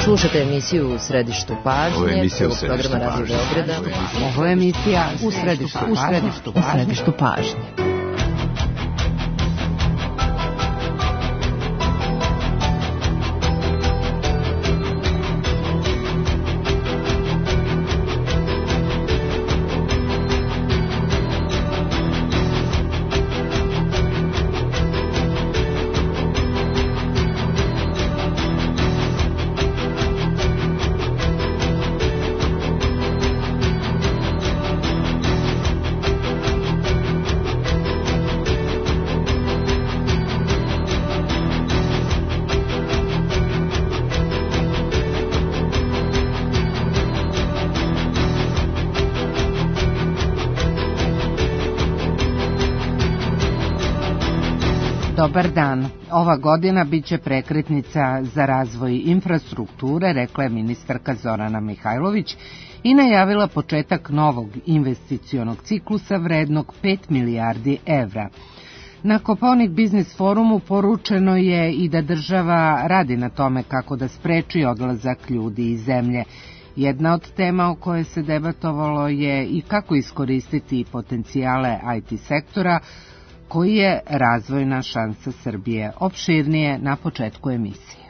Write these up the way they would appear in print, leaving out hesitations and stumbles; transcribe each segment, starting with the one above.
Slušate emisiju U središtu pažnje. Ovo je emisija U središtu pažnje. Ovo je emisija U središtu pažnje. Dobar dan. Ova godina biće prekretnica za razvoj infrastrukture, rekla je ministarka Zorana Mihajlović i najavila početak novog investicionog ciklusa vrednog 5 milijardi evra. Na Kopaonik biznis forumu poručeno je i da država radi na tome kako da spreči odlazak ljudi iz zemlje. Jedna od tema o kojoj se debatovalo je i kako iskoristiti potencijale IT sektora, koji je razvojna šansa Srbije. Opširnije na početku emisije.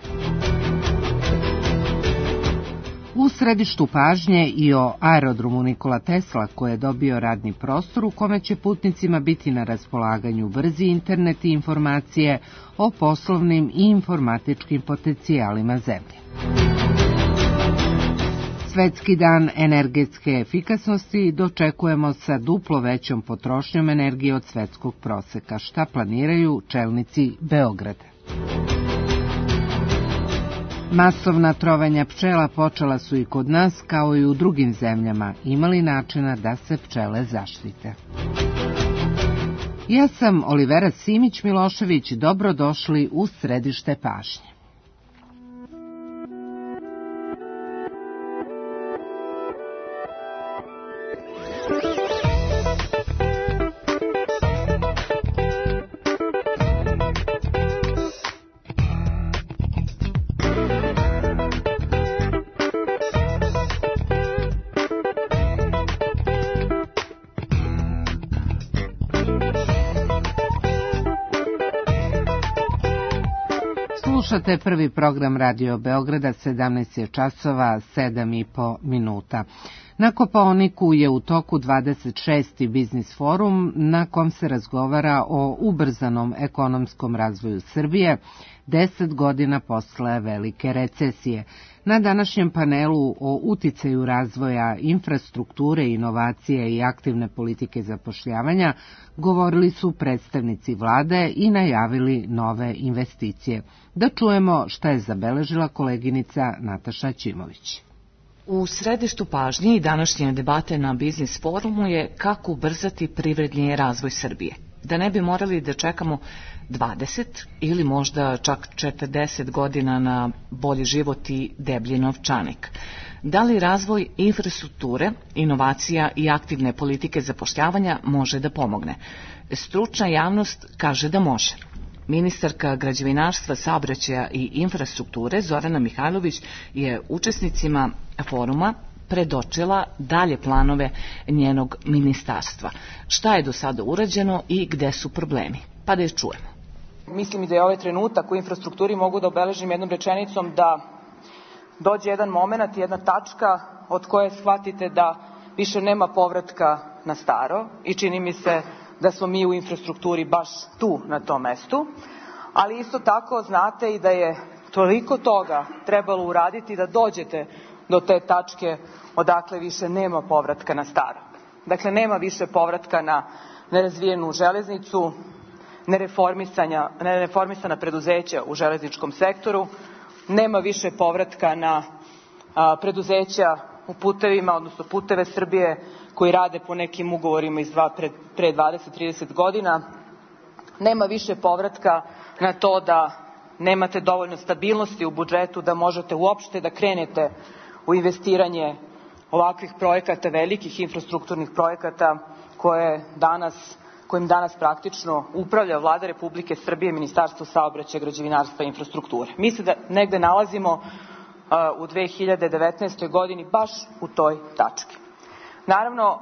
U središtu pažnje i o aerodromu Nikola Tesla, koji je dobio radni prostor u kome će putnicima biti na raspolaganju brzi internet i informacije o poslovnim i informatičkim potencijalima zemlje. Svetski dan energetske efikasnosti dočekujemo sa duplo većom potrošnjom energije od svetskog proseka. Šta planiraju čelnici Beograda? Masovna trovanja pčela počela su i kod nas, kao i u drugim zemljama. Imali načina da se pčele zaštite? Ja sam Olivera Simić-Milošević, dobrodošli u središte pažnje. Slušate prvi program Radio Beograda, 17 je časova, 7,5 minuta. Na Kopaoniku je u toku 26. biznis forum na kom se razgovara o ubrzanom ekonomskom razvoju Srbije 10 godina posle velike recesije. Na današnjem panelu o uticaju razvoja infrastrukture, inovacije i aktivne politike zapošljavanja govorili su predstavnici vlade i najavili nove investicije. Da čujemo šta je zabeležila koleginica Nataša Ćimović. U središtu pažnje i današnje debate na biznis forumu je kako ubrzati privredni razvoj Srbije. Da ne bi morali da čekamo 20 ili možda čak 40 godina na bolji život i deblji novčanik. Da li razvoj infrastrukture, inovacija i aktivne politike zapošljavanja može da pomogne? Stručna javnost kaže da može. Ministarka građevinarstva, saobraćaja i infrastrukture Zorana Mihajlović je učesnicima foruma predočila dalje planove njenog ministarstva. Šta je do sada urađeno i gde su problemi? Pa da je čujemo. Mislim i da je ovaj trenutak u infrastrukturi mogu da obeležim jednom rečenicom da dođe jedan moment, jedna tačka od koje shvatite da više nema povratka na staro i čini mi se da smo mi u infrastrukturi baš tu na tom mestu, ali isto tako znate i da je toliko toga trebalo uraditi da dođete do te tačke odakle više nema povratka na staro. Dakle, nema više povratka na nerazvijenu železnicu, nereformisana preduzeća u železničkom sektoru, nema više povratka na preduzeća u putevima, odnosno Puteve Srbije koji rade po nekim ugovorima iz pre 20-30 godina. Nema više povratka na to da nemate dovoljno stabilnosti u budžetu da možete uopšte da krenete u investiranje ovakvih projekata, velikih infrastrukturnih projekata kojim danas praktično upravlja Vlada Republike Srbije, Ministarstvo saobraćaja, građevinarstva i infrastrukture. Mi se da negde nalazimo u 2019. godini baš u toj tački. Naravno,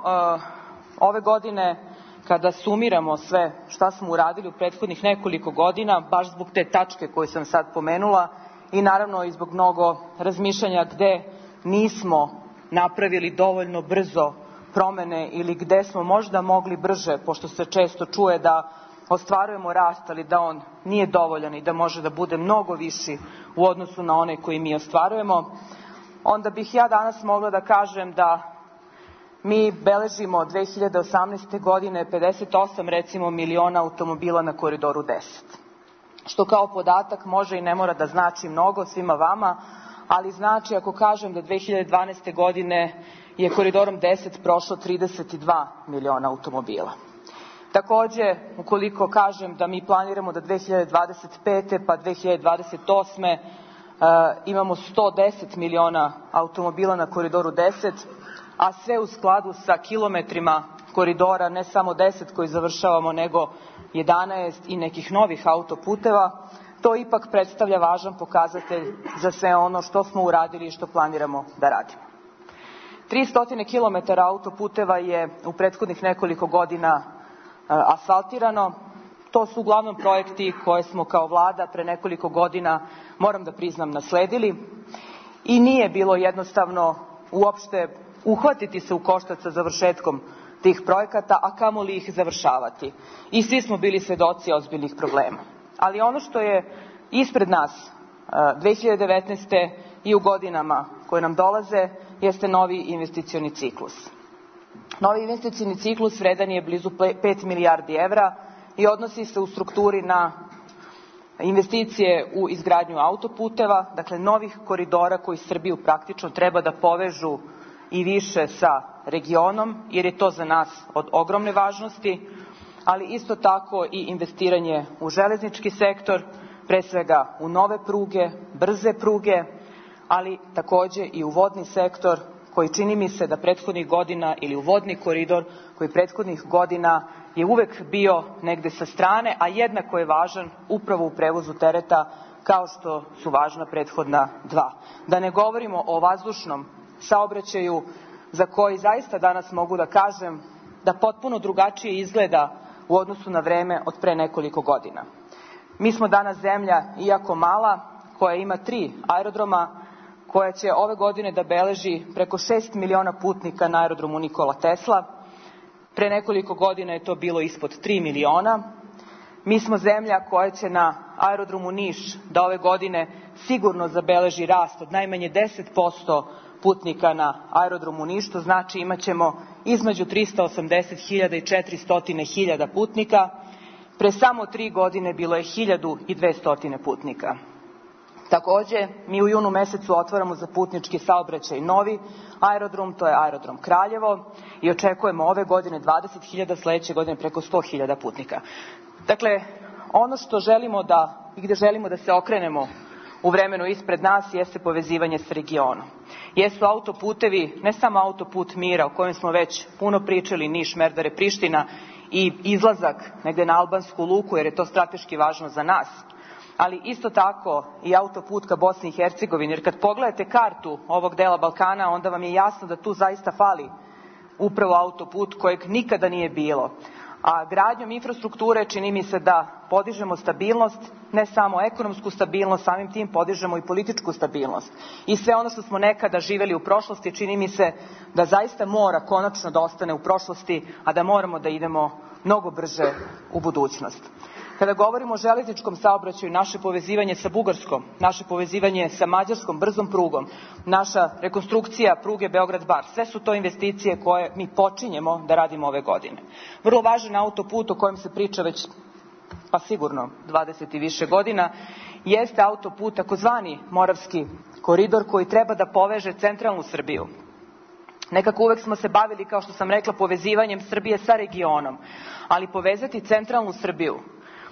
ove godine kada sumiramo sve šta smo uradili u prethodnih nekoliko godina, baš zbog te tačke koju sam sad pomenula i naravno i zbog mnogo razmišljanja gde nismo napravili dovoljno brzo promene ili gde smo možda mogli brže, pošto se često čuje da ostvarujemo rast, ali da on nije dovoljan i da može da bude mnogo viši u odnosu na one koji mi ostvarujemo, onda bih ja danas mogla da kažem da mi beležimo 2018. godine 58 recimo miliona automobila na Koridoru 10. Što kao podatak može i ne mora da znači mnogo svima vama, ali znači ako kažem da 2012. godine je Koridorom 10 prošlo 32 miliona automobila. Takođe, ukoliko kažem da mi planiramo da 2025. pa 2028. Imamo 110 miliona automobila na Koridoru 10, a sve u skladu sa kilometrima koridora, ne samo 10 koji završavamo, nego 11 i nekih novih autoputeva, to ipak predstavlja važan pokazatelj za sve ono što smo uradili i što planiramo da radimo. 300 km autoputeva je u prethodnih nekoliko godina asfaltirano. To su uglavnom projekti koje smo kao vlada pre nekoliko godina, moram da priznam, nasledili i nije bilo jednostavno uopšte uhvatiti se u koštac sa završetkom tih projekata, a kamoli ih završavati. I svi smo bili svedoci ozbiljnih problema. Ali ono što je ispred nas 2019. i u godinama koje nam dolaze jeste novi investicioni ciklus. Novi investicioni ciklus vredan je blizu 5 milijardi evra i odnosi se u strukturi na investicije u izgradnju autoputeva, dakle novih koridora koji Srbiju praktično treba da povežu i više sa regionom, jer je to za nas od ogromne važnosti, ali isto tako i investiranje u železnički sektor, pre svega u nove pruge, brze pruge, ali takođe i u vodni sektor koji čini mi se da prethodnih godina, ili u vodni koridor koji prethodnih godina je uvek bio negde sa strane, a jednako je važan upravo u prevozu tereta kao što su važna prethodna dva. Da ne govorimo o vazdušnom saobraćaju za koji zaista danas mogu da kažem da potpuno drugačije izgleda u odnosu na vreme od pre nekoliko godina. Mi smo danas zemlja, iako mala, koja ima 3 aerodroma, koja će ove godine da beleži preko 6 miliona putnika na aerodromu Nikola Tesla. Pre nekoliko godina je to bilo ispod 3 miliona. Mi smo zemlja koja će na aerodromu Niš da ove godine sigurno zabeleži rast od najmanje 10% putnika na aerodromu Niš, što znači imaćemo između 380.000 i 400.000 putnika. Pre samo 3 godine bilo je 1.200 putnika. Takođe, mi u junu mesecu otvaramo za putnički saobraćaj novi aerodrom, to je aerodrom Kraljevo, i očekujemo ove godine 20.000, sledeće godine preko 100.000 putnika. Dakle, ono što želimo da i gde želimo da se okrenemo u vremenu ispred nas jeste povezivanje s regionom. Jesu autoputevi, ne samo autoput mira o kojem smo već puno pričali, Niš, Merdare, Priština, i izlazak negde na albansku luku, jer je to strateški važno za nas, ali isto tako i autoput ka Bosni i Hercegovini, jer kad pogledate kartu ovog dela Balkana, onda vam je jasno da tu zaista fali upravo autoput kojeg nikada nije bilo. A gradnjom infrastrukture čini mi se da podižemo stabilnost, ne samo ekonomsku stabilnost, samim tim podižemo i političku stabilnost. I sve ono što smo nekada živeli u prošlosti, čini mi se da zaista mora konačno da ostane u prošlosti, a da moramo da idemo mnogo brže u budućnost. Kada govorimo o železničkom saobraćaju, naše povezivanje sa Bugarskom, naše povezivanje sa Mađarskom brzom prugom, naša rekonstrukcija pruge Beograd-Bar, sve su to investicije koje mi počinjemo da radimo ove godine. Vrlo važan autoput o kojem se priča već pa sigurno 20 i više godina jeste autoput, takozvani Moravski koridor, koji treba da poveže centralnu Srbiju. Nekako uvek smo se bavili, kao što sam rekla, povezivanjem Srbije sa regionom, ali povezati centralnu Srbiju,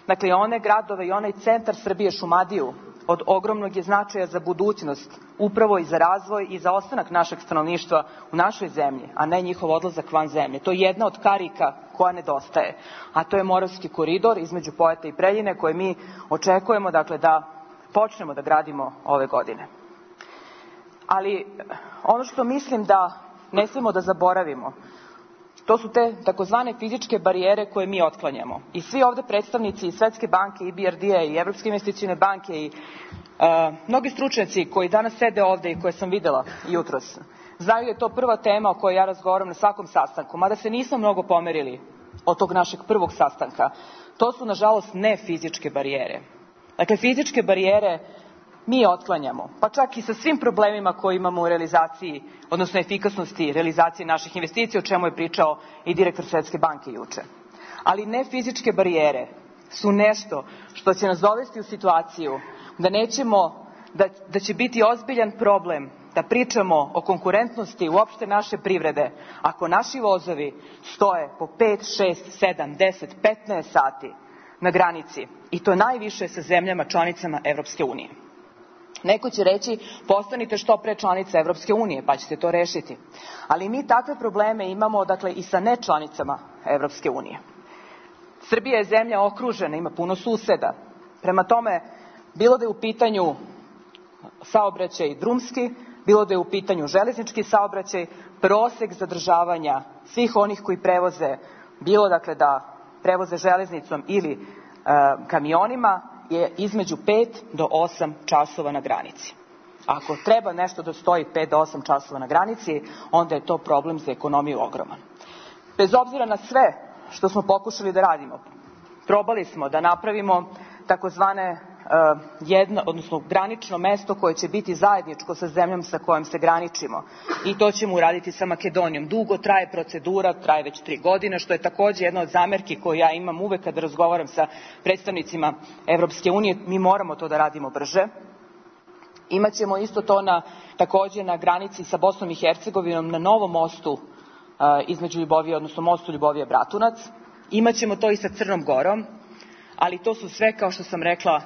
dakle one gradove i onaj centar Srbije, Šumadiju, od ogromnog je značaja za budućnost, upravo i za razvoj i za ostanak našeg stanovništva u našoj zemlji, a ne njihov odlazak van zemlje. To je jedna od karika koja nedostaje, a to je Moravski koridor između Pojata i Preljine, koje mi očekujemo, dakle, da počnemo da gradimo ove godine. Ali ono što mislim da ne smemo da zaboravimo, to su te takozvane fizičke barijere koje mi otklanjamo. I svi ovde predstavnici i Svetske banke, i BRD-a, i Evropske investicione banke, i mnogi stručnjaci koji danas sede ovde i koje sam videla jutros, znaju da je to prva tema o kojoj ja razgovaram na svakom sastanku, mada se nismo mnogo pomerili od tog našeg prvog sastanka. To su, nažalost, ne fizičke barijere. Dakle, fizičke barijere mi otklanjamo, pa čak i sa svim problemima koje imamo u realizaciji, odnosno efikasnosti realizacije naših investicija, o čemu je pričao i direktor Svetske banke juče. Ali ne fizičke barijere su nešto što će nas dovesti u situaciju da će biti ozbiljan problem da pričamo o konkurentnosti uopšte naše privrede ako naši vozovi stoje po 5, 6, 7, 10, 15 sati na granici, i to najviše sa zemljama članicama Evropske unije. Neko će reći, postanite što pre članica Evropske unije, pa ćete to rešiti. Ali mi takve probleme imamo, dakle, i sa nečlanicama Evropske unije. Srbija je zemlja okružena, ima puno suseda. Prema tome, bilo da je u pitanju saobraćaj drumski, bilo da je u pitanju železnički saobraćaj, prosek zadržavanja svih onih koji prevoze, bilo dakle da prevoze železnicom ili kamionima, je između 5 do 8 časova na granici. Ako treba nešto da stoji 5 do 8 časova na granici, onda je to problem za ekonomiju ogroman. Bez obzira na sve što smo pokušali da radimo, probali smo da napravimo takozvane odnosno granično mesto koje će biti zajedničko sa zemljom sa kojom se graničimo. I to ćemo uraditi sa Makedonijom. Dugo traje procedura, traje već 3 godine, što je takođe jedna od zamerki koju ja imam uvek kada razgovaram sa predstavnicima Evropske unije. Mi moramo to da radimo brže. Imaćemo isto to takođe na granici sa Bosnom i Hercegovinom, na novom mostu između Ljubovije, odnosno mostu Ljubovije-Bratunac. Imaćemo to i sa Crnom Gorom, ali to su sve, kao što sam rekla,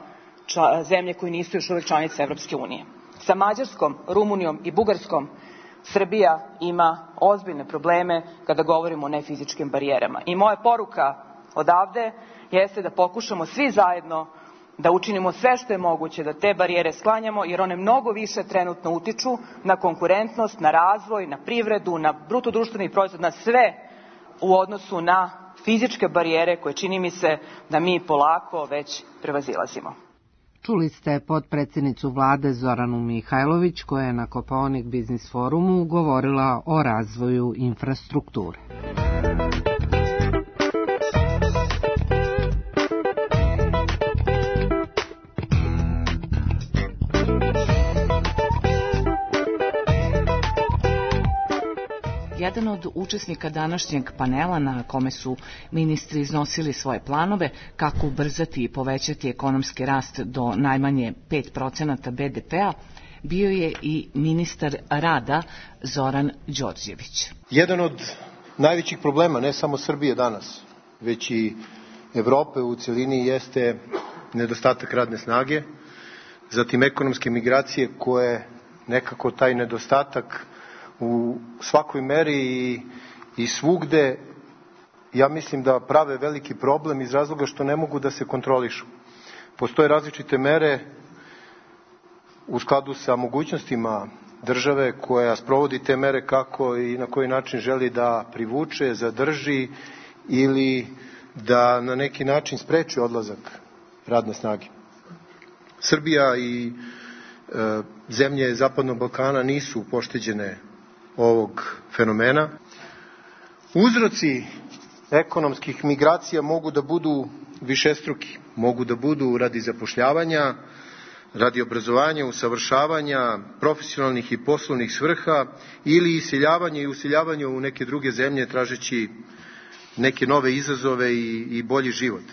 zemlje koje nisu još uvek članice Evropske unije. Sa Mađarskom, Rumunijom i Bugarskom Srbija ima ozbiljne probleme kada govorimo o nefizičkim barijerama. I moja poruka odavde jeste da pokušamo svi zajedno da učinimo sve što je moguće da te barijere sklanjamo, jer one mnogo više trenutno utiču na konkurentnost, na razvoj, na privredu, na bruto društveni proizvod, na sve u odnosu na fizičke barijere koje čini mi se da mi polako već prevazilazimo. Čuli ste potpredsjednicu vlade Zoranu Mihajlović koja je na Kopaonik Biznis forumu govorila o razvoju infrastrukture. Jedan od učesnika današnjeg panela na kome su ministri iznosili svoje planove kako ubrzati i povećati ekonomski rast do najmanje 5% BDP-a bio je i ministar rada Zoran Đorđević. Jedan od najvećih problema ne samo Srbije danas, već i Evrope u celini jeste nedostatak radne snage, zatim ekonomske migracije koje nekako taj nedostatak u svakoj meri i svugde, ja mislim da prave veliki problem iz razloga što ne mogu da se kontrolišu. Postoje različite mere u skladu sa mogućnostima države koja sprovodi te mere kako i na koji način želi da privuče, zadrži ili da na neki način spreči odlazak radne snage. Srbija i zemlje Zapadnog Balkana nisu pošteđene ovog fenomena. Uzroci ekonomskih migracija mogu da budu višestruki. Mogu da budu radi zapošljavanja, radi obrazovanja, usavršavanja, profesionalnih i poslovnih svrha ili iseljavanja i useljavanja u neke druge zemlje tražeći neke nove izazove i bolji život.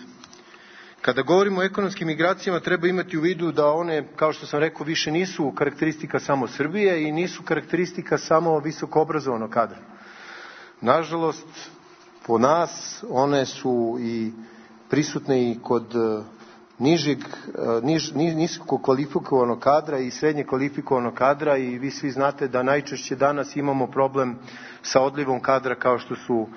Kada govorimo o ekonomskim migracijama, treba imati u vidu da one, kao što sam rekao, više nisu karakteristika samo Srbije i nisu karakteristika samo visoko obrazovanog kadra. Nažalost, po nas, one su i prisutne i kod nisko kvalifikovanog kadra i srednje kvalifikovanog kadra i vi svi znate da najčešće danas imamo problem sa odlivom kadra kao što su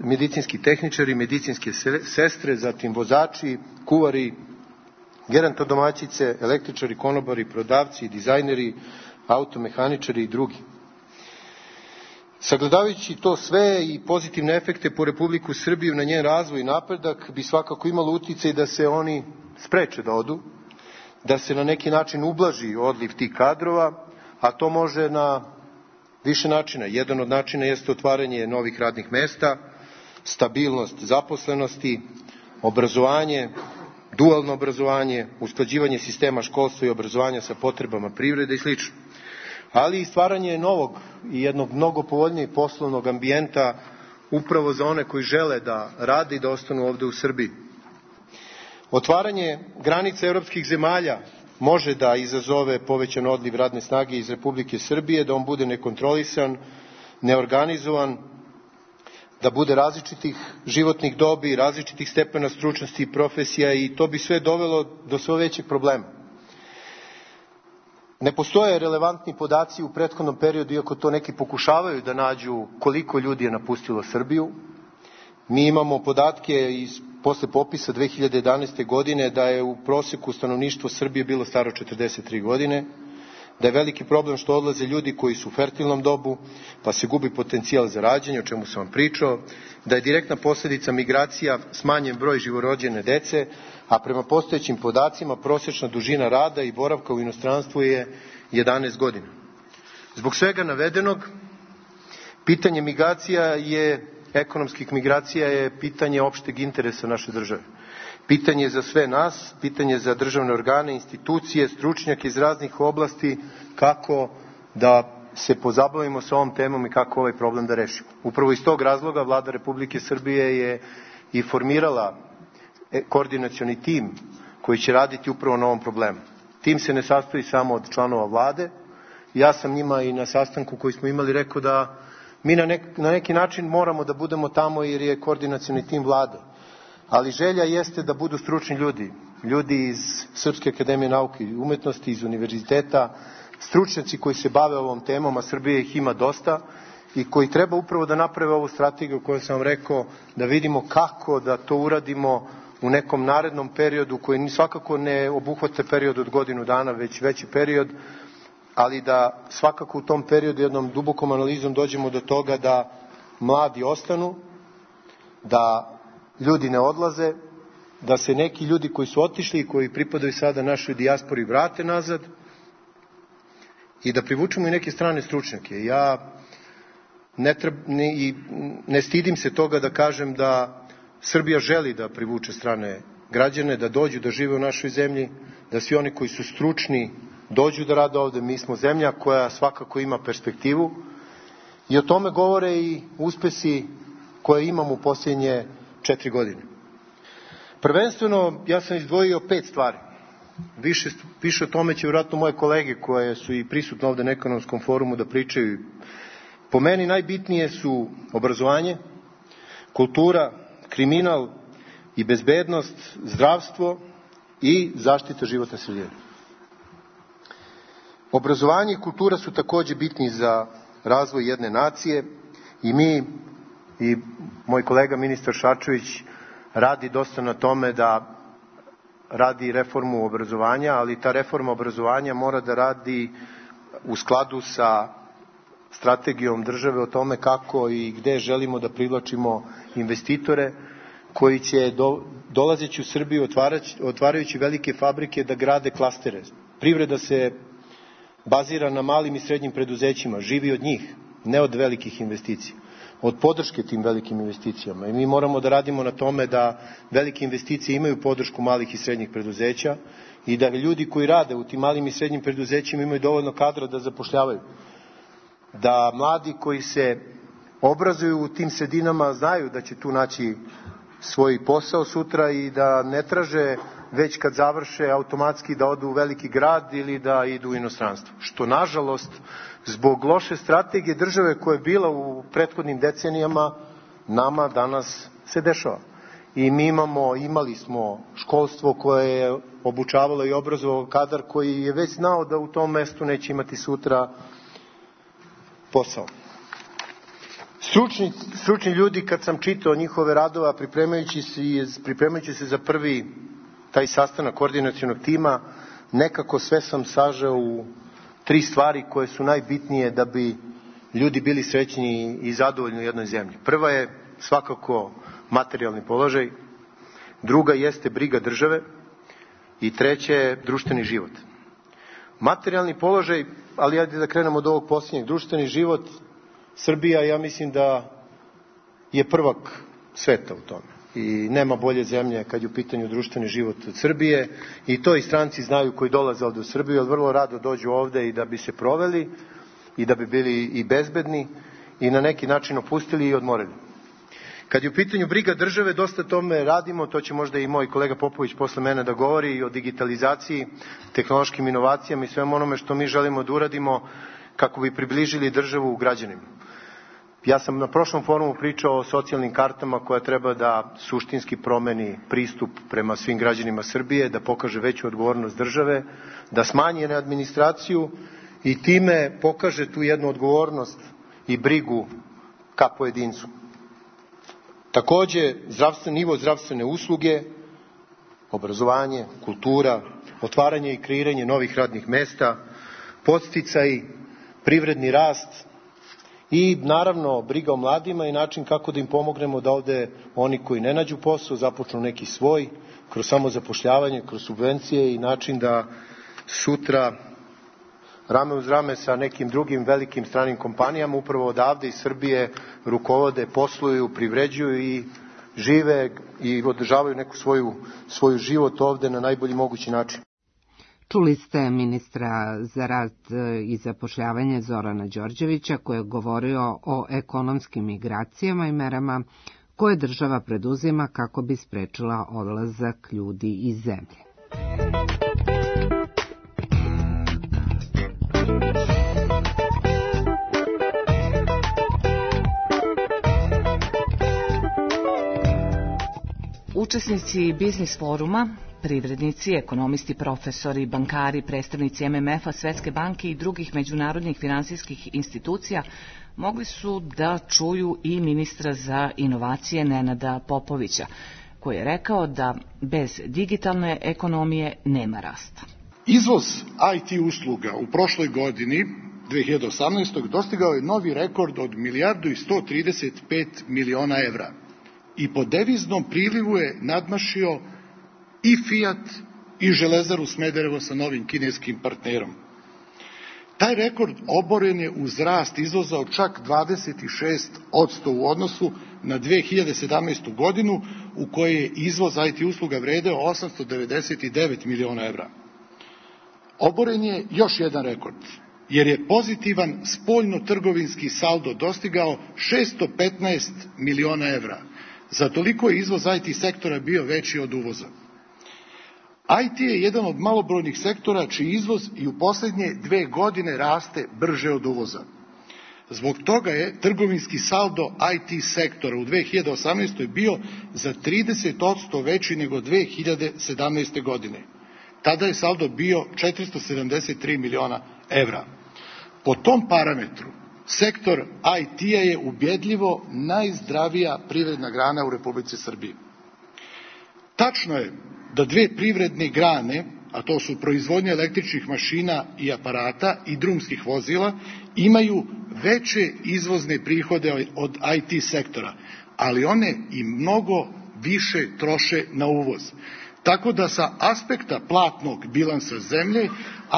medicinski tehničari, medicinske sestre, zatim vozači, kuvari, gerontodomaćice, električari, konobari, prodavci, dizajneri, automehaničari i drugi. Sagledavajući to sve i pozitivne efekte po Republiku Srbiju na njen razvoj i napredak bi svakako imalo uticaj da se oni spreče da odu, da se na neki način ublaži odliv tih kadrova, a to može na više načina. Jedan od načina jeste otvaranje novih radnih mesta, stabilnost zaposlenosti, obrazovanje, dualno obrazovanje, usklađivanje sistema školstva i obrazovanja sa potrebama privrede i sl. Ali i stvaranje novog i jednog mnogo povoljnijeg poslovnog ambijenta upravo za one koji žele da rade i da ostanu ovde u Srbiji. Otvaranje granica evropskih zemalja može da izazove povećan odliv radne snage iz Republike Srbije, da on bude nekontrolisan, neorganizovan, da bude različitih životnih dobi, različitih stepena stručnosti i profesija i to bi sve dovelo do sve većeg problema. Ne postoje relevantni podaci u prethodnom periodu, iako to neki pokušavaju da nađu koliko ljudi je napustilo Srbiju. Mi imamo podatke posle popisa 2011. godine da je u proseku stanovništvo Srbije bilo staro 43 godine, da je veliki problem što odlaze ljudi koji su u fertilnom dobu, pa se gubi potencijal za rađanje, o čemu sam vam pričao, da je direktna posledica migracija smanjen broj živorođene dece, a prema postojećim podacima prosječna dužina rada i boravka u inostranstvu je 11 godina. Zbog svega navedenog, pitanje ekonomskih migracija je pitanje opšteg interesa naše države. Pitanje za sve nas, pitanje za državne organe, institucije, stručnjake iz raznih oblasti, kako da se pozabavimo sa ovom temom i kako ovaj problem da rešimo. Upravo iz tog razloga Vlada Republike Srbije je i formirala koordinacioni tim koji će raditi upravo na ovom problemu. Tim se ne sastoji samo od članova Vlade. Ja sam njima i na sastanku koji smo imali rekao da mi na neki način moramo da budemo tamo jer je koordinacioni tim Vlade. Ali želja jeste da budu stručni ljudi, ljudi iz Srpske akademije nauke i umetnosti, iz univerziteta, stručnjaci koji se bave ovom temom, a Srbije ih ima dosta, i koji treba upravo da naprave ovu strategiju koju sam vam rekao, da vidimo kako da to uradimo u nekom narednom periodu, koji svakako ne obuhvata period od godinu dana, već veći period, ali da svakako u tom periodu jednom dubokom analizom dođemo do toga da mladi ostanu, da ljudi ne odlaze, da se neki ljudi koji su otišli i koji pripadaju sada našoj dijaspori vrate nazad i da privučemo i neke strane stručnjake. Ja ne stidim se toga da kažem da Srbija želi da privuče strane građane, da dođu da žive u našoj zemlji, da svi oni koji su stručni dođu da rade ovde. Mi smo zemlja koja svakako ima perspektivu i o tome govore i uspesi koje imamo u posljednje 4 godine. Prvenstveno, ja sam izdvojio 5 stvari. Više o tome će vjerojatno moje kolege koje su i prisutne ovde na ekonomskom forumu da pričaju. Po meni najbitnije su obrazovanje, kultura, kriminal i bezbednost, zdravstvo i zaštita životne sredine. Obrazovanje i kultura su takođe bitni za razvoj jedne nacije i mi i moj kolega ministar Šarčević radi dosta na tome da radi reformu obrazovanja, ali ta reforma obrazovanja mora da radi u skladu sa strategijom države o tome kako i gde želimo da privlačimo investitore koji će dolazeći u Srbiju, otvarajući velike fabrike, da grade klastere. Privreda se bazira na malim i srednjim preduzećima, živi od njih, ne od velikih investicija, od podrške tim velikim investicijama. I mi moramo da radimo na tome da velike investicije imaju podršku malih i srednjih preduzeća i da ljudi koji rade u tim malim i srednjim preduzećima imaju dovoljno kadra da zapošljavaju. Da mladi koji se obrazuju u tim sredinama znaju da će tu naći svoj posao sutra i da ne traže već kad završe automatski da odu u veliki grad ili da idu u inostranstvo. Što nažalost zbog loše strategije države koja je bila u prethodnim decenijama nama danas se dešava. I mi imali smo školstvo koje je obučavalo i obrazovalo kadar koji je već znao da u tom mestu neće imati sutra posao. Stručni ljudi, kad sam čitao njihove radova pripremajući se za prvi taj sastanak koordinacionog tima, nekako sve sam sažao u 3 stvari koje su najbitnije da bi ljudi bili srećni i zadovoljni u jednoj zemlji. Prva je svakako materijalni položaj, druga jeste briga države i treća je društveni život. Materijalni položaj, ali ajde da krenemo od ovog posljednjeg, društveni život, Srbija, ja mislim da je prvak sveta u tome. I nema bolje zemlje kad je u pitanju društveni život od Srbije. I to i stranci znaju koji dolaze ovde u Srbiju, jer vrlo rado dođu ovde i da bi se proveli, i da bi bili i bezbedni, i na neki način opustili i odmorili. Kad je u pitanju briga države, dosta tome radimo, to će možda i moj kolega Popović posle mene da govori, i o digitalizaciji, tehnološkim inovacijama i svemu onome što mi želimo da uradimo kako bi približili državu građanima. Ja sam na prošlom forumu pričao o socijalnim kartama koja treba da suštinski promeni pristup prema svim građanima Srbije, da pokaže veću odgovornost države, da smanji administraciju i time pokaže tu jednu odgovornost i brigu ka pojedincu. Takođe, nivo zdravstvene usluge, obrazovanje, kultura, otvaranje i kreiranje novih radnih mesta, podsticaj, privredni rast i naravno briga o mladima i način kako da im pomognemo da ovde oni koji ne nađu posao započnu neki svoj, kroz samozapošljavanje, kroz subvencije i način da sutra rame uz rame sa nekim drugim velikim stranim kompanijama upravo odavde iz Srbije rukovode, posluju, privređuju i žive i održavaju neku svoju život ovde na najbolji mogući način. Čuli ste ministra za rad i zapošljavanje Zorana Đorđevića koji je govorio o ekonomskim migracijama i merama koje država preduzima kako bi sprečila odlazak ljudi iz zemlje. Učesnici biznis foruma, privrednici, ekonomisti, profesori, bankari, predstavnici MMF-a, Svetske banke i drugih međunarodnih finansijskih institucija mogli su da čuju i ministra za inovacije Nenada Popovića, koji je rekao da bez digitalne ekonomije nema rasta. Izvoz IT usluga u prošloj godini, 2018. dostigao je novi rekord od 1.135 miliona evra i po deviznom prilivu je nadmašio i Fiat i Železaru Smederevo sa novim kineskim partnerom. Taj rekord oboren je uz rast izvoza od čak 26% u odnosu na 2017. godinu u kojoj je izvoz IT usluga vredeo 899 miliona evra. Oboren je još jedan rekord, jer je pozitivan spoljno-trgovinski saldo dostigao 615 miliona evra. Za toliko je izvoz IT sektora bio veći od uvoza. IT je jedan od malobrojnih sektora čiji izvoz i u posljednje 2 godine raste brže od uvoza. Zbog toga je trgovinski saldo IT sektora u 2018. bio za 30% veći nego 2017. godine. Tada je saldo bio 473 miliona evra. Po tom parametru, sektor IT-a je ubedljivo najzdravija privredna grana u Republici Srbiji. Tačno je da 2 privredne grane, a to su proizvodnja električnih mašina i aparata i drumskih vozila, imaju veće izvozne prihode od IT sektora, ali one i mnogo više troše na uvoz. Tako da sa aspekta platnog bilansa zemlje,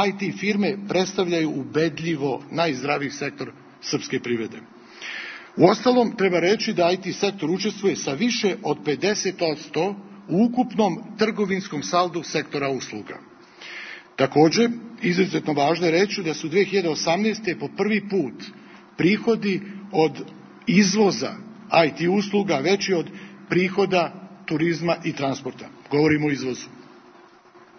IT firme predstavljaju ubedljivo najzdraviji sektor srpske privrede. Uostalom, treba reći da IT sektor učestvuje sa više od 50% u ukupnom trgovinskom saldu sektora usluga. Također, izuzetno važno je reći da su 2018. po prvi put prihodi od izvoza IT usluga veći od prihoda turizma i transporta. Govorimo o izvozu.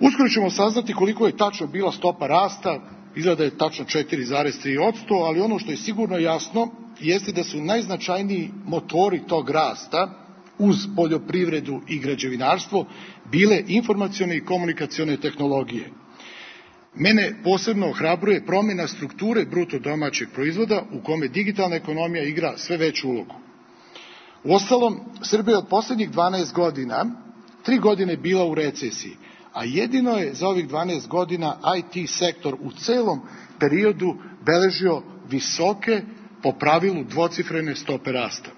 Uskoro ćemo saznati koliko je tačno bila stopa rasta, izgleda je tačno 4,3%, ali ono što je sigurno jasno jeste da su najznačajniji motori tog rasta uz poljoprivredu i građevinarstvo bile informacione i komunikacione tehnologije. Mene posebno ohrabruje promjena strukture bruto domaćeg proizvoda u kome digitalna ekonomija igra sve veću ulogu. Uostalom, Srbija od posljednjih 12 godina, 3 godine bila u recesiji, a jedino je za ovih 12 godina IT sektor u celom periodu beležio visoke, po pravilu dvocifrene stope rasta.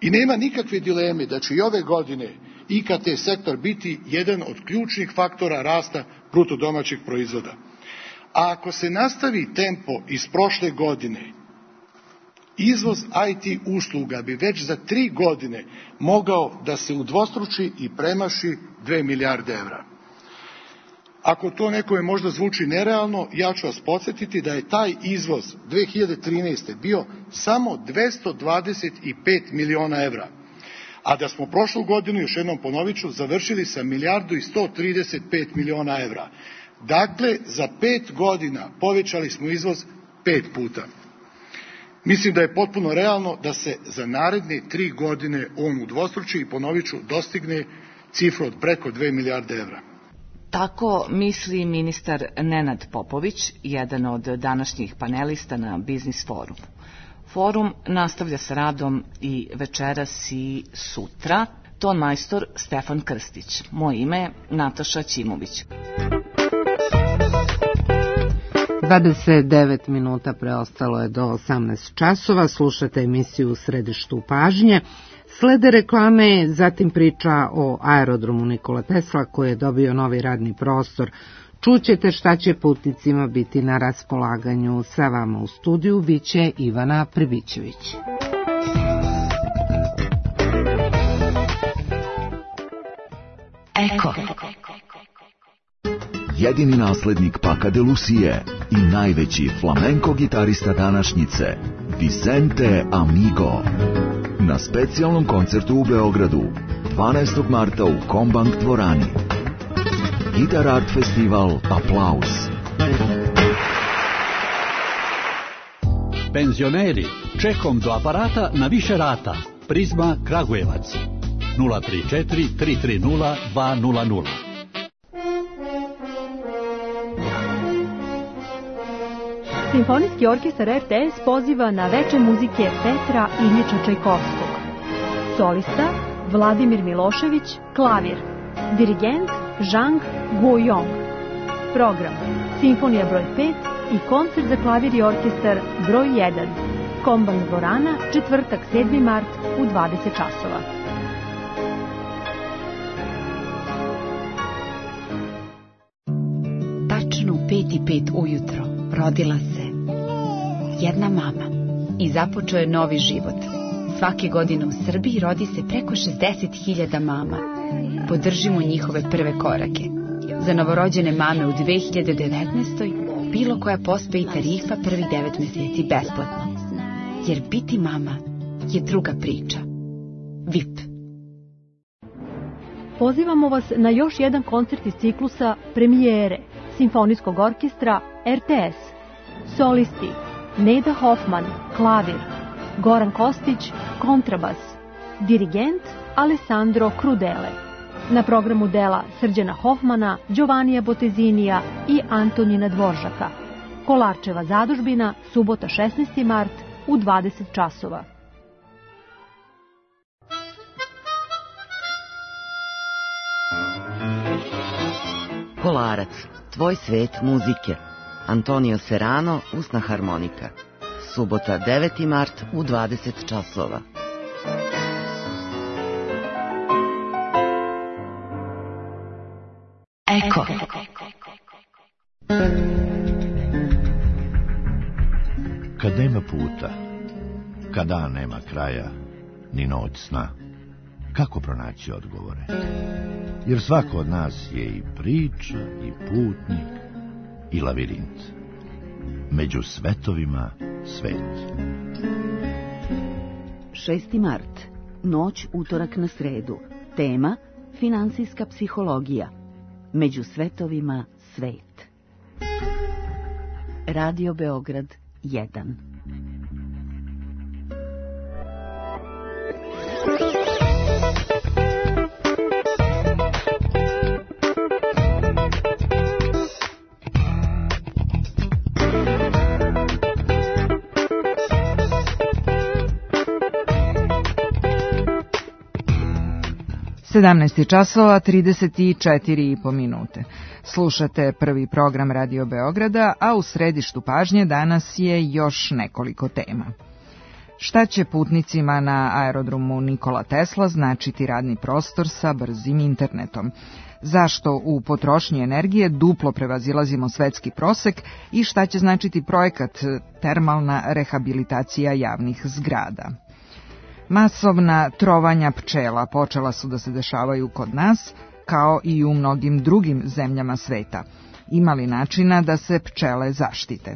I nema nikakve dileme da će i ove godine IKT sektor biti jedan od ključnih faktora rasta bruto domaćeg proizvoda. A ako se nastavi tempo iz prošle godine, izvoz IT usluga bi već za 3 godine mogao da se udvostruči i premaši 2 milijarde evra. Ako to nekome možda zvuči nerealno, ja ću vas podsjetiti da je taj izvoz 2013. bio samo 225 miliona evra, a da smo prošlu godinu, još jednom ponovit ću, završili sa 1.135 miliona evra. Dakle, za 5 godina povećali smo izvoz 5 puta. Mislim da je potpuno realno da se za naredne 3 godine on udvostruči i, ponovit ću, dostigne cifru od preko 2 milijarde evra. Tako misli ministar Nenad Popović, jedan od današnjih panelista na Biznis forumu. Forum nastavlja sa radom i večeras i sutra. Ton majstor Stefan Krstić. Moje ime je Nataša Ćimović. 29 minuta preostalo je do 18 časova. Slušate emisiju U središtu pažnje. Slede reklame, zatim priča o aerodromu Nikola Tesla koji je dobio novi radni prostor. Čućete šta će putnicima biti na raspolaganju. Sa vama u studiju biće Ivana Pribićević. Eko. Jedini naslednik Paca de Lucie i najveći flamenko gitarista današnjice, Vicente Amigo. Na specijalnom koncertu u Beogradu, 12. marta u Kombank dvorani. Gitar Art Festival Aplauz. Penzioneri, čekom do aparata na više rata. Prizma Kragujevac. 034 330 200. Simfonijski orkestar RTS poziva na veče muzike Petra Iljiča Čajkovskog. Solista Vladimir Milošević, klavir. Dirigent Zhang Guoyong. Program Simfonija broj 5 i koncert za klavir i orkestar broj 1. Kombank dvorana, četvrtak 7. mart u 20 časova. Tačno u 5:05 ujutro rodila se jedna mama i započeo je novi život. Svake godine u Srbiji rodi se preko 60.000 mama. Podržimo njihove prve korake. Za novorođene mame u 2019. bilo koja pospe i tarifa prvih 9 meseci besplatno. Jer biti mama je druga priča. VIP. Pozivamo vas na još jedan koncert iz ciklusa Premijere Simfonijskog orkestra RTS. Solisti Neda Hoffman, klavir. Goran Kostić, kontrabas. Dirigent Alessandro Crudele. Na programu dela Srđana Hoffmana, Giovanija Botezinija i Antonina Dvoržaka. Kolarčeva zadužbina, subota 16. mart u 20 časova. Kolarac, tvoj svet muzike. Antonio Serrano, usna harmonika. Subota 9. mart u 20 časova. Eko. Kad nema puta, kad dan nema kraja, ni noć sna, kako pronaći odgovore? Jer svako od nas je i priča, i putnik, i lavirint. Među svetovima svet. 6. mart. Noć utorak na sredu. Tema finansijska psihologija. Među svetovima svet. Radio Beograd 1. 17 časova 34,5 minute. Slušate prvi program Radio Beograda, a u središtu pažnje danas je još nekoliko tema. Šta će putnicima na aerodromu Nikola Tesla značiti radni prostor sa brzim internetom? Zašto u potrošnji energije duplo prevazilazimo svetski prosek i šta će značiti projekat termalna rehabilitacija javnih zgrada? Masovna trovanja pčela počela su da se dešavaju kod nas, kao i u mnogim drugim zemljama sveta. Ima li načina da se pčele zaštite?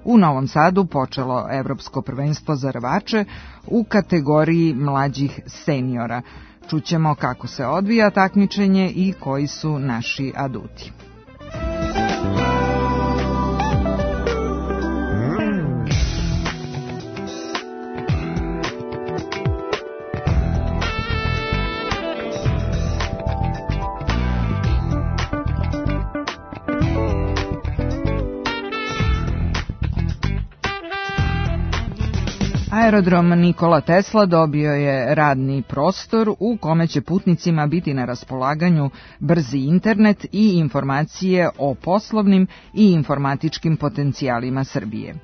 U Novom Sadu počelo Evropsko prvenstvo za rvače u kategoriji mlađih seniora. Čućemo kako se odvija takmičenje i koji su naši aduti. Aerodrom Nikola Tesla dobio je radni prostor u kome će putnicima biti na raspolaganju brzi internet i informacije o poslovnim i informatičkim potencijalima Srbije.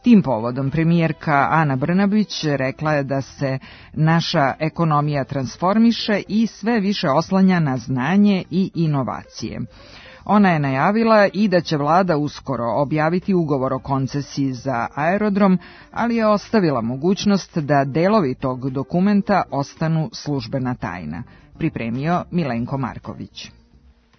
Tim povodom premijerka Ana Brnabić rekla je da se naša ekonomija transformiše i sve više oslanja na znanje i inovacije. Ona je najavila i da će vlada uskoro objaviti ugovor o koncesiji za aerodrom, ali je ostavila mogućnost da delovi tog dokumenta ostanu službena tajna. Pripremio Milenko Marković.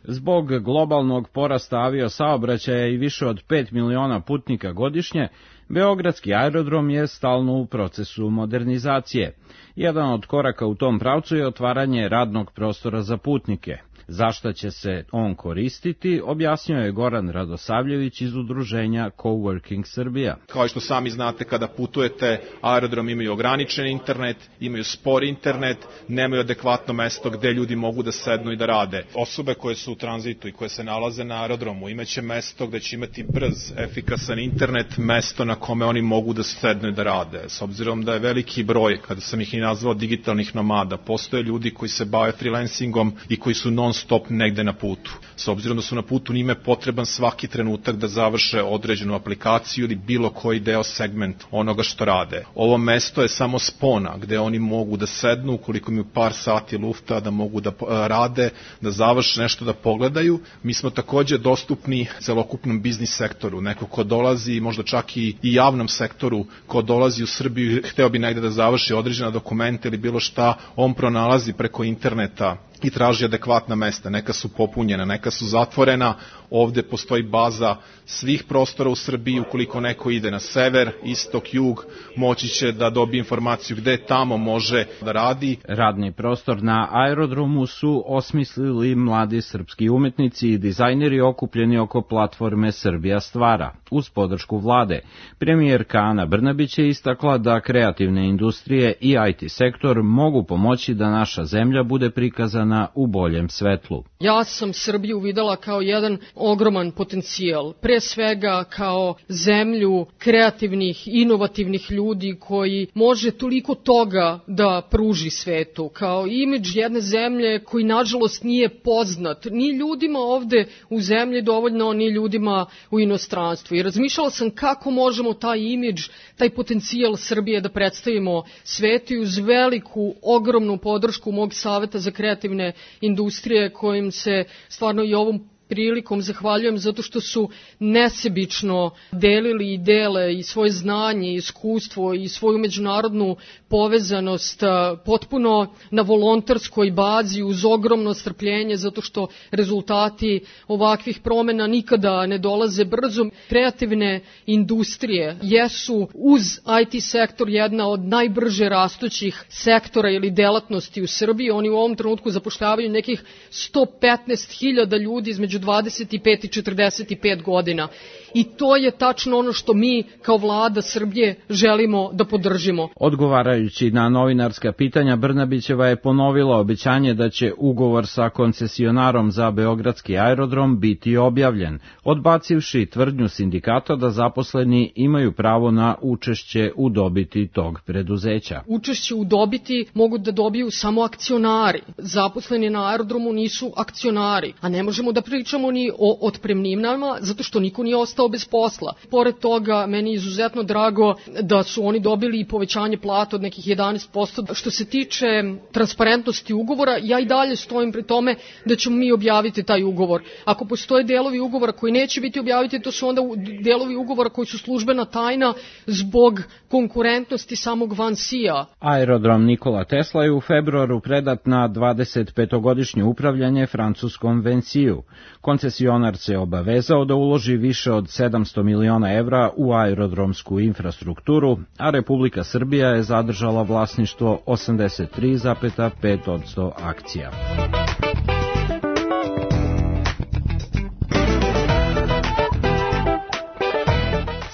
Zbog globalnog porasta aviosaobraćaja i više od 5 miliona putnika godišnje, Beogradski aerodrom je stalno u procesu modernizacije. Jedan od koraka u tom pravcu je otvaranje radnog prostora za putnike. Zašta će se on koristiti, objasnio je Goran Radosavljević iz udruženja Coworking Srbija. Kao što sami znate, kada putujete, aerodrom imaju ograničen internet, imaju spor internet, nemaju adekvatno mesto gde ljudi mogu da sednu i da rade. Osobe koje su u tranzitu i koje se nalaze na aerodromu imaće mesto gde će imati brz, efikasan internet, mesto na kome oni mogu da sednu i da rade. S obzirom da je veliki broj, kada sam ih i nazvao digitalnih nomada, postoje ljudi koji se bave freelancingom i koji su non-stop negde na putu. S obzirom da su na putu, njima je potreban svaki trenutak da završe određenu aplikaciju ili bilo koji deo segment onoga što rade. Ovo mesto je samo spona gde oni mogu da sednu, ukoliko imaju par sati lufta, da mogu da rade, da završe nešto, da pogledaju. Mi smo takođe dostupni celokupnom biznis sektoru. Neko ko dolazi, možda čak i javnom sektoru, ko dolazi u Srbiju, hteo bi negde da završi određena dokumenta ili bilo šta, on pronalazi preko interneta i traži adekvatna mesta. Neka su popunjena, neka su zatvorena. Ovde postoji baza svih prostora u Srbiji. Ukoliko neko ide na sever, istok, jug, moći će da dobije informaciju gde tamo može da radi. Radni prostor na aerodromu su osmislili mladi srpski umetnici i dizajneri okupljeni oko platforme Srbija stvara. Uz podršku vlade, premijerka Ana Brnabić je istakla da kreativne industrije i IT sektor mogu pomoći da naša zemlja bude prikazana u boljem svetlu. Ja sam Srbiju videla kao jedan ogroman potencijal, pre svega kao zemlju kreativnih, inovativnih ljudi koji može toliko toga da pruži svetu, kao imidž jedne zemlje koji nažalost nije poznat ni ljudima ovde u zemlji dovoljno, ni ljudima u inostranstvu. I razmišljala sam kako možemo taj imidž, taj potencijal Srbije da predstavimo svetu i uz veliku, ogromnu podršku mog Saveta za kreativne industrije kojim se stvarno i ovom prilikom zahvaljujem zato što su nesebično delili i dele i svoje znanje, iskustvo i svoju međunarodnu povezanost potpuno na volonterskoj bazi uz ogromno strpljenje zato što rezultati ovakvih promena nikada ne dolaze brzo. Kreativne industrije jesu uz IT sektor jedna od najbrže rastućih sektora ili delatnosti u Srbiji. Oni u ovom trenutku zapošljavaju nekih 115.000 ljudi između 25 i 45 godina. i to je tačno ono što mi kao vlada Srbije želimo da podržimo. Odgovarajući na novinarska pitanja, Brnabićeva je ponovila obećanje da će ugovor sa koncesionarom za beogradski aerodrom biti objavljen, odbacivši tvrdnju sindikata da zaposleni imaju pravo na učešće u dobiti tog preduzeća. Učešće u dobiti mogu da dobiju samo akcionari. Zaposleni na aerodromu nisu akcionari, a ne možemo da pričamo ni o otpremninama zato što niko nije ostao bez posla. Pored toga, meni je izuzetno drago da su oni dobili i povećanje plata od nekih 11%. Što se tiče transparentnosti ugovora, ja i dalje stojim pri tome da ćemo mi objaviti taj ugovor. Ako postoje delovi ugovora koji neće biti objaviti, to su onda delovi ugovora koji su službena tajna zbog konkurentnosti samog Vansija. Aerodrom Nikola Tesla je u februaru predat na 25-godišnje upravljanje francuskom Vansiju. Koncesionar se obavezao da uloži više od 700 miliona evra u aerodromsku infrastrukturu, a Republika Srbija je zadržala vlasništvo 83,5% akcija.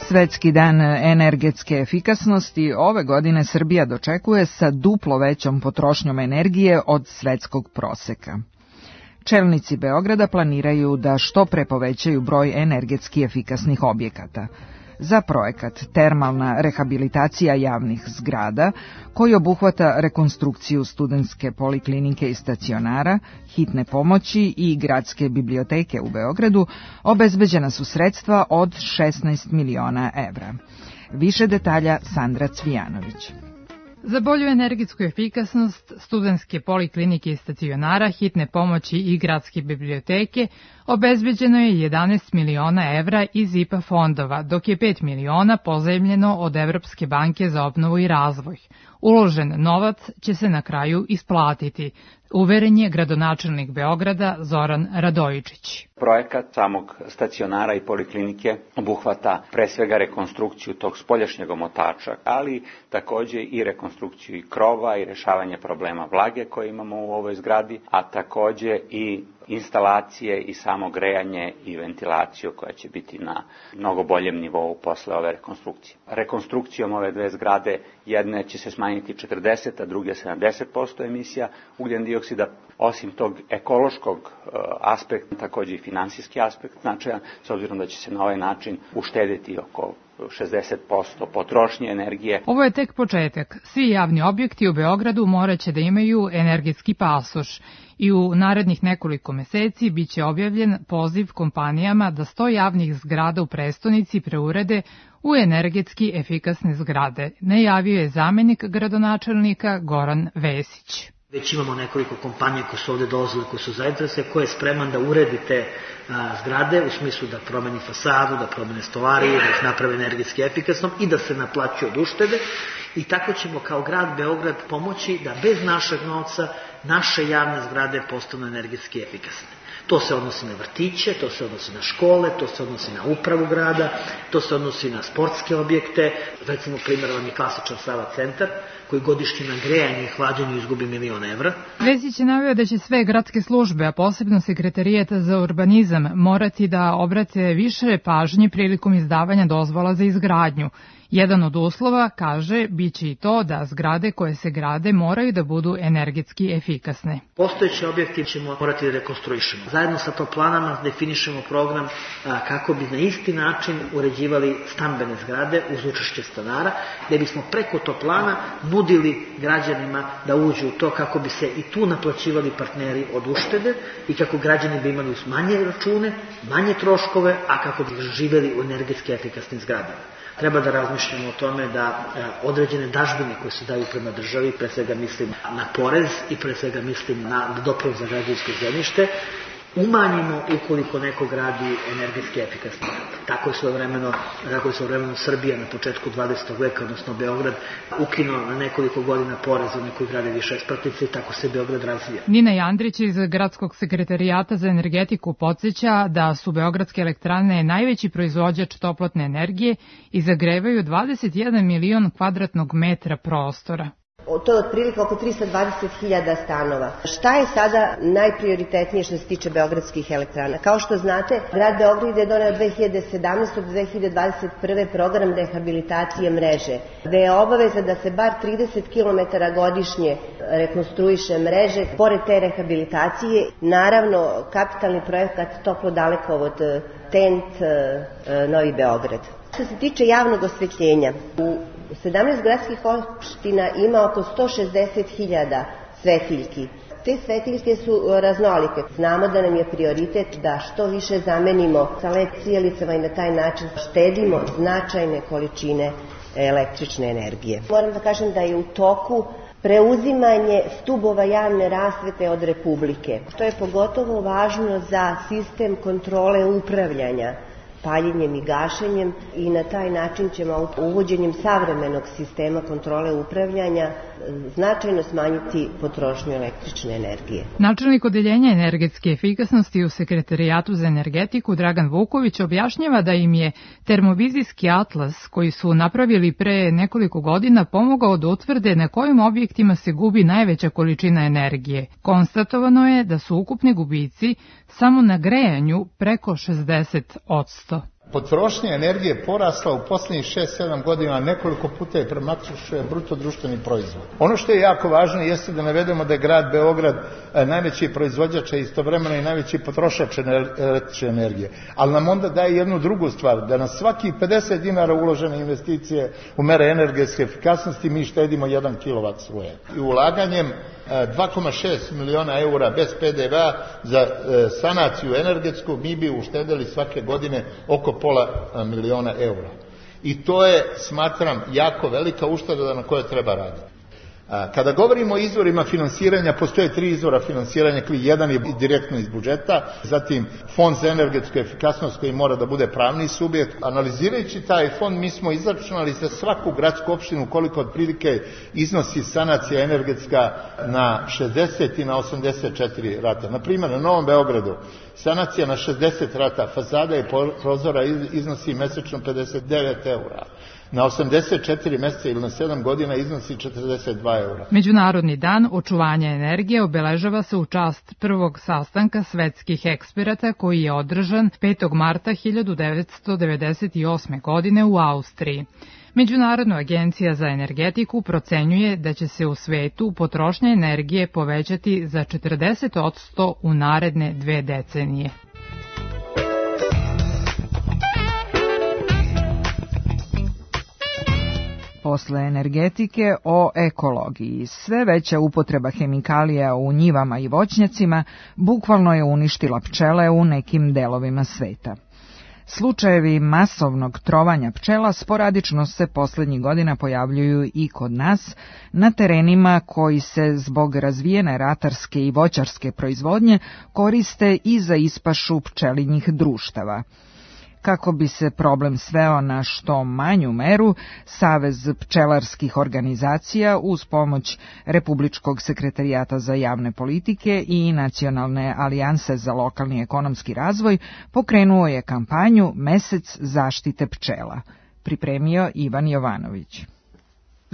Svetski dan energetske efikasnosti ove godine Srbija dočekuje sa duplo većom potrošnjom energije od svetskog proseka. Čelnici Beograda planiraju da što pre povećaju broj energetski efikasnih objekata. Za projekat Termalna rehabilitacija javnih zgrada, koji obuhvata rekonstrukciju studentske poliklinike i stacionara, hitne pomoći i gradske biblioteke u Beogradu, obezbeđena su sredstva od 16 miliona evra. Više detalja Sandra Cvijanović. Za bolju energetsku efikasnost studentske poliklinike i stacionara, hitne pomoći i gradske biblioteke obezbeđeno je 11 miliona evra iz IPA fondova, dok je 5 miliona pozajmljeno od Evropske banke za obnovu i razvoj. Uložen novac će se na kraju isplatiti, uveren je gradonačelnik Beograda Zoran Radojičić. Projekat samog stacionara i poliklinike obuhvata pre svega rekonstrukciju tog spoljašnjeg omotača, ali takođe i rekonstrukciju i krova i rešavanje problema vlage koje imamo u ovoj zgradi, a takođe i instalacije i samo grejanje i ventilaciju koja će biti na mnogo boljem nivou posle ove rekonstrukcije. Rekonstrukcijom ove dve zgrade jedne će se smanjiti 40, a druge 70% emisija ugljen dioksida. Osim tog ekološkog aspekta, takođe i finansijski aspekt značajan, s obzirom da će se na ovaj način uštediti oko 60% potrošnje energije. Ovo je tek početak. Svi javni objekti u Beogradu moraće da imaju energetski pasoš i u narednih nekoliko meseci biće objavljen poziv kompanijama da 100 javnih zgrada u prestonici preurede u energetski efikasne zgrade, najavio je zamenik gradonačelnika Goran Vesić. Već imamo nekoliko kompanija koje su ovde dolazile, koje su zainteresovane, koje je spreman da uredi te zgrade u smislu da promeni fasadu, da promene stolarije, da ih naprave energetski efikasnom i da se naplaćuje od uštede. I tako ćemo kao grad Beograd pomoći da bez našeg novca naše javne zgrade postanu energetski efikasne. To se odnosi na vrtiće, to se odnosi na škole, to se odnosi na upravu grada, to se odnosi na sportske objekte. Recimo, primjer vam je klasičan Sava centar, koji godišnje na grejanje i hlađenju izgubi 1 milion evra. Vesić je naveo da će sve gradske službe, a posebno Sekretarijat za urbanizam, morati da obrate više pažnje prilikom izdavanja dozvola za izgradnju. Jedan od uslova, kaže, biće i to da zgrade koje se grade moraju da budu energetski efikasne. Postojeće objekte ćemo morati da rekonstruišemo. Zajedno sa toplanama definišemo program kako bi na isti način uređivali stambene zgrade uz učešće stanara, gde bismo preko toplana nudili građanima da uđu u to kako bi se i tu naplaćivali partneri od uštede i kako građani bi imali manje račune, manje troškove, a kako bi živeli u energetski efikasnim zgradama. Treba da razmišljamo o tome da određene dažbine koje se daju prema državi, pre svega mislim na porez i pre svega mislim na doprinos za građevinsko zemljište, umanjimo ukoliko neko gradi energetski efikasno. Tako je svojevremeno Srbija na početku 20. veka, odnosno Beograd, ukinuo na nekoliko godina porez za koji grade više spratnice i tako se Beograd razvija. Nina Jandrić iz Gradskog sekretarijata za energetiku podsjeća da su beogradske elektrane najveći proizvođač toplotne energije i zagrevaju 21 milion kvadratnog metra prostora. To je otprilike oko 320.000 stanova. Šta je sada najprioritetnije što se tiče beogradskih elektrana? Kao što znate, grad Beograd je doneo 2017. do 2021. program rehabilitacije mreže, gde je obaveza da se bar 30 km godišnje rekonstruiše mreže. Pored te rehabilitacije, naravno, kapitalni projekat toplo-dalekovod TENT Novi Beograd. Što se tiče javnog osvetljenja, u 17 gradskih opština ima oko 160.000 svetiljki. Te svetiljke su raznolike. Znamo da nam je prioritet da što više zamenimo sa LED svijelicama i na taj način štedimo značajne količine električne energije. Moram da kažem da je u toku preuzimanje stubova javne rasvete od Republike, što je pogotovo važno za sistem kontrole upravljanja paljenjem i gašenjem, i na taj način ćemo uvođenjem savremenog sistema kontrole upravljanja značajno smanjiti potrošnju električne energije. Načelnik odeljenja energetske efikasnosti u Sekretarijatu za energetiku Dragan Vuković objašnjava da im je termovizijski atlas koji su napravili pre nekoliko godina pomogao da utvrde na kojim objektima se gubi najveća količina energije. Konstatovano je da su ukupni gubici samo na grejanju preko 60%. Potrošnja energije porasla u posljednjih 6-7 godina, nekoliko puta je premašila bruto društveni proizvod. Ono što je jako važno jeste da navedemo da je grad Beograd najveći proizvođač, istovremeno i najveći potrošač električne energije. Ali nam onda daje jednu drugu stvar, da na svaki 50 dinara uložene investicije u mere energetske efikasnosti mi štedimo 1 kW struje. I ulaganjem 2,6 miliona eura bez PDV-a za sanaciju energetsku mi bi uštedili svake godine oko pola miliona eura. I to je, smatram, jako velika ušteda na kojoj treba raditi. Kada govorimo o izvorima finansiranja, postoje 3 izvora finansiranja. Jedan je direktno iz budžeta, zatim fond za energetsku efikasnost koji mora da bude pravni subjekt. Analizirajući taj fond, mi smo izračunali za svaku gradsku opštinu koliko otprilike iznosi sanacija energetska na 60 i na 84 rata. Na primjer, na Novom Beogradu sanacija na 60 rata fasada i prozora iznosi mesečno 59 eura. Na 84 mjeseca ili na 7 godina iznosi 42 eura. Međunarodni dan očuvanja energije obeležava se u čast prvog sastanka svetskih eksperata koji je održan 5. marta 1998. godine u Austriji. Međunarodna agencija za energetiku procenjuje da će se u svetu potrošnja energije povećati za 40% u naredne 2 decenije. Posle energetike o ekologiji. Sve veća upotreba hemikalija u njivama i voćnjacima bukvalno je uništila pčele u nekim delovima sveta. Slučajevi masovnog trovanja pčela sporadično se poslednjih godina pojavljuju i kod nas, na terenima koji se zbog razvijene ratarske i voćarske proizvodnje koriste i za ispašu pčelinjih društava. Kako bi se problem sveo na što manju meru, Savez pčelarskih organizacija uz pomoć Republičkog sekretarijata za javne politike i Nacionalne alijanse za lokalni ekonomski razvoj pokrenuo je kampanju Mesec zaštite pčela. Pripremio Ivan Jovanović.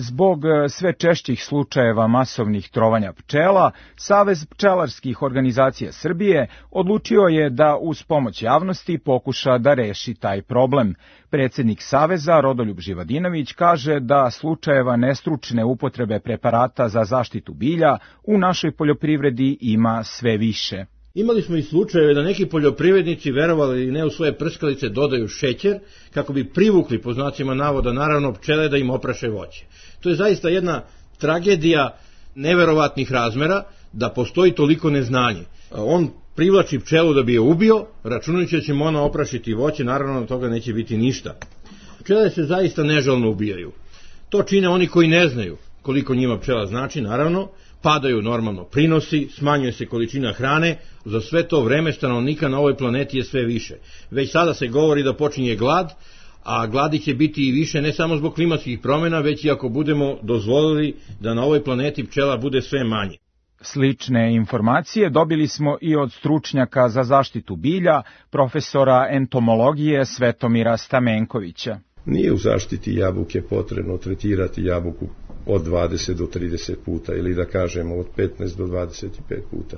Zbog sve češćih slučajeva masovnih trovanja pčela, Savez pčelarskih organizacija Srbije odlučio je da uz pomoć javnosti pokuša da reši taj problem. Predsjednik Saveza, Rodoljub Živadinović, kaže da slučajeva nestručne upotrebe preparata za zaštitu bilja u našoj poljoprivredi ima sve više. Imali smo i slučajeve da neki poljoprivrednici, verovali ili ne, u svoje prskalice dodaju šećer kako bi privukli, po znacima navoda, naravno pčele da im opraše voće. To je zaista jedna tragedija neverovatnih razmera da postoji toliko neznanje. On privlači pčelu da bi je ubio, računajući da će mu ona oprašiti voće, naravno od toga neće biti ništa. Pčele se zaista nežalno ubijaju. To čine oni koji ne znaju koliko njima pčela znači, naravno, padaju normalno prinosi, smanjuje se količina hrane, za sve to vreme stanovnika na ovoj planeti je sve više. Već sada se govori da počinje glad, a gladi će biti i više ne samo zbog klimatskih promjena, već i ako budemo dozvolili da na ovoj planeti pčela bude sve manje. Slične informacije dobili smo i od stručnjaka za zaštitu bilja, profesora entomologije Svetomira Stamenkovića. Nije u zaštiti jabuke potrebno tretirati jabuku od 20 do 30 puta ili da kažemo od 15 do 25 puta.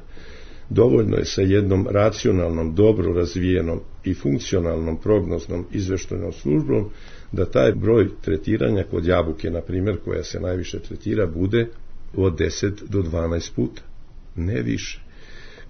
Dovoljno je sa jednom racionalnom, dobro razvijenom i funkcionalnom prognoznom izveštajnom službom da taj broj tretiranja kod jabuke, na primjer, koja se najviše tretira, bude od 10 do 12 puta, ne više.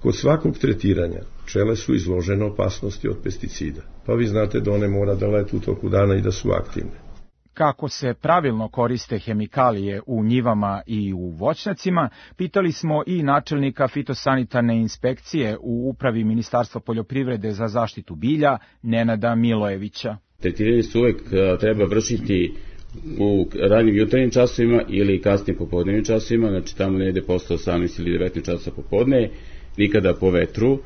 Kod svakog tretiranja pčele su izložene opasnosti od pesticida, pa vi znate da one mora da letu u toku dana i da su aktivne. Kako se pravilno koriste hemikalije u njivama i u voćnjacima, pitali smo i načelnika fitosanitarne inspekcije u upravi Ministarstva poljoprivrede za zaštitu bilja, Nenada Milojevića. Tretiranje se uvek treba vršiti u ranim jutarnjim časovima ili kasnim popodnevnim časovima, znači tamo negde posle 18 ili 19 časa popodne, nikada po vetru,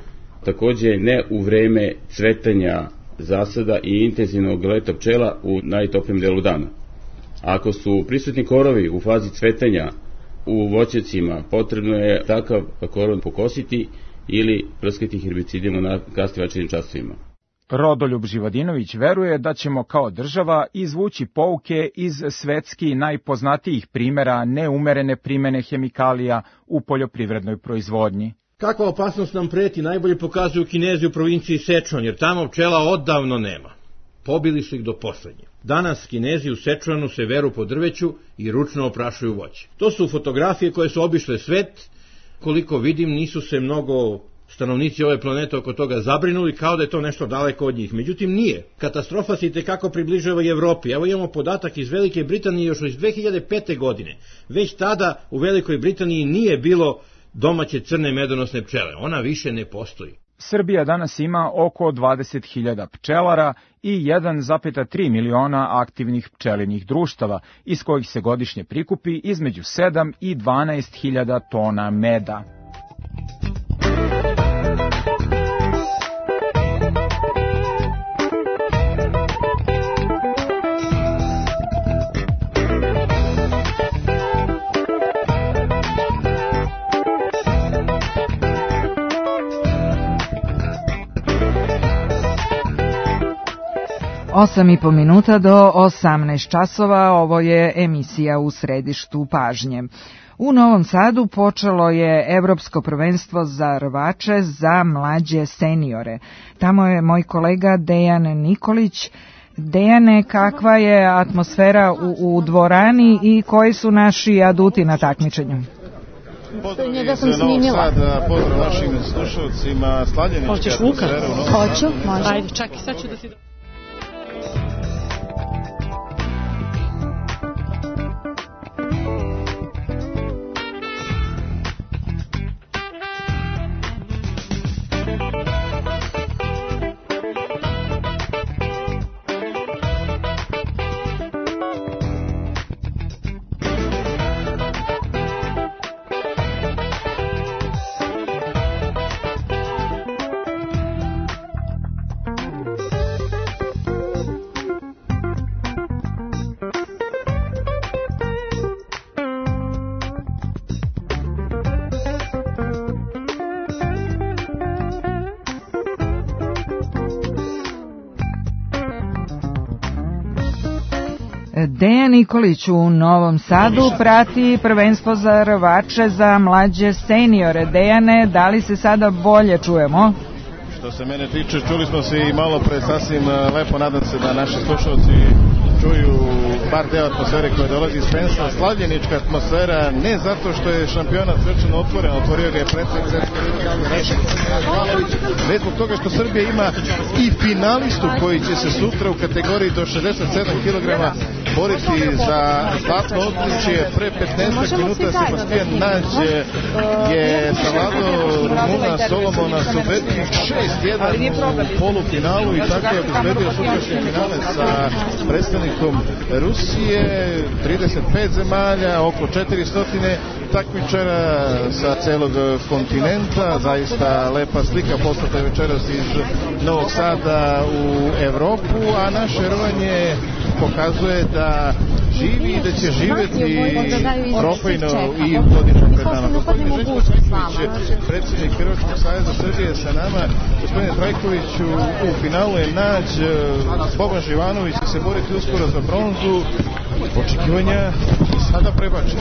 takođe ne u vreme cvetanja zasada i intenzivnog leta pčela u najtoplijem delu dana. Ako su prisutni korovi u fazi cvetanja u voćnjacima, potrebno je takav korov pokositi ili prskati herbicidima na kasnim večernjim časovima. Rodoljub Živodinović veruje da ćemo kao država izvući pouke iz svetski najpoznatijih primera neumerene primene hemikalija u poljoprivrednoj proizvodnji. Kakva opasnost nam preti najbolje pokazuju Kinezi u provinciji Sečuan, jer tamo pčela odavno nema. Pobili su ih do poslednje. Danas Kinezi u Sečuanu se veru po drveću i ručno oprašuju voće. To su fotografije koje su obišle svet. Koliko vidim, nisu se mnogo stanovnici ove planete oko toga zabrinuli, kao da je to nešto daleko od njih. Međutim, nije. Katastrofa se itekako približava i Evropi. Evo imamo podatak iz Velike Britanije još iz 2005. godine. Već tada u Velikoj Britaniji nije bilo domaće crne medonosne pčele. Ona više ne postoji. Srbija danas ima oko 20.000 pčelara i 1,3 miliona aktivnih pčelinih društava, iz kojih se godišnje prikupi između 7 i 12.000 tona meda. Osam i po minuta do 18 časova, ovo je emisija U središtu pažnje. U Novom Sadu počelo je Evropsko prvenstvo za rvače za mlađe seniore. Tamo je moj kolega Dejan Nikolić. Dejane, kakva je atmosfera u dvorani i koji su naši aduti na takmičenju? Pozdrav iz Novog Sada, pozdrav našim slušalcima, slavljenička atmosfera u Novom Sadu. Hoću, može. Ajde, čekaj, sad ću da si... Dejan Nikolić u Novom Sadu prati prvenstvo za rvače za mlađe seniore. Dejane, da li se sada bolje čujemo? Što se mene tiče, čuli smo se i malo pre sasvim lepo, nadam se da naši slušalci čuju bar deo atmosfere koja dolazi iz Pensa. Slavljenička atmosfera, ne zato što je šampionat svečano otvoren, otvorio ga je predsjednik Svetske organizacije već zbog toga što Srbija ima i finalistu koji će se sutra u kategoriji do 67 kg boriti za zlatno odličje. Pre 15 minuta Sebastian Nađ je savladao Rumuna Solomona Subeti 6-1 u polufinalu i tako je obezbedio sutrašnje finale sa predstavnikom Rusije, 35 zemalja, oko 400 takmičara sa celog kontinenta, zaista lepa slika poslata večeras iz Novog Sada u Evropu, a naše rvanje pokazuje da živi i da će živeti trofejno i u godinu pred nama. Gospodin Željko Trajković, predsjednik Hrvatskog saveza Srbije sa nama. Gospodine Trajkoviću, u finalu je Nađ, Boban Živanović će se boriti uskoro za bronzu. Očekivanja Sada prebačen.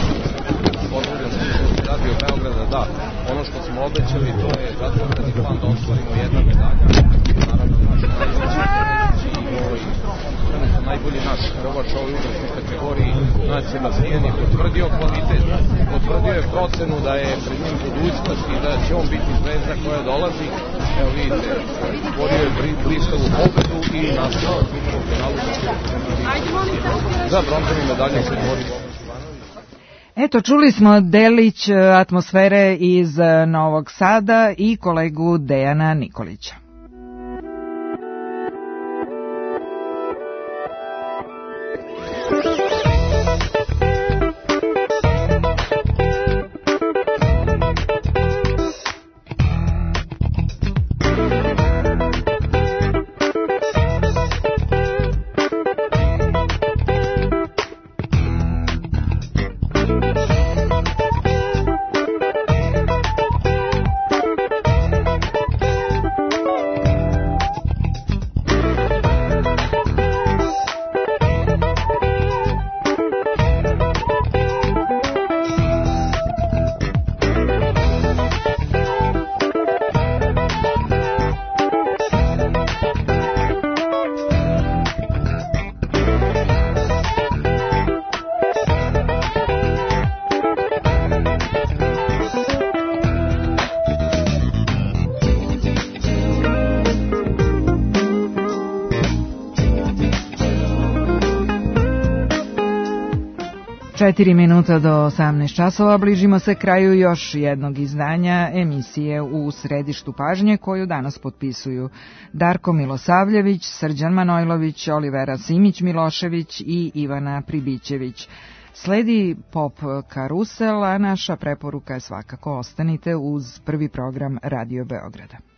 Pozdravljam slušalci Radio Beograda, da, ono što smo obećali, to je zacrtani plan da ostvarimo jedna medalja, naravno najbolji naš rovač u ovoj uzrasnoj kategoriji Nad Sebastijan je potvrdio kvalitet, potvrdio je procenu da je pred njim budućnost i da će on biti zvezda koja dolazi. Evo vidite, borio je blistavu pobedu i nastavio u finalu za bronzani medalje se bori. Eto, čuli smo delić atmosfere iz Novog Sada i kolegu Dejana Nikolića. Četiri minuta do 18 časova, bližimo se kraju još jednog izdanja emisije U središtu pažnje, koju danas potpisuju Darko Milosavljević, Srđan Manojlović, Olivera Simić-Milošević i Ivana Pribićević. Sledi pop karusel, a naša preporuka je svakako ostanite uz prvi program Radio Beograda.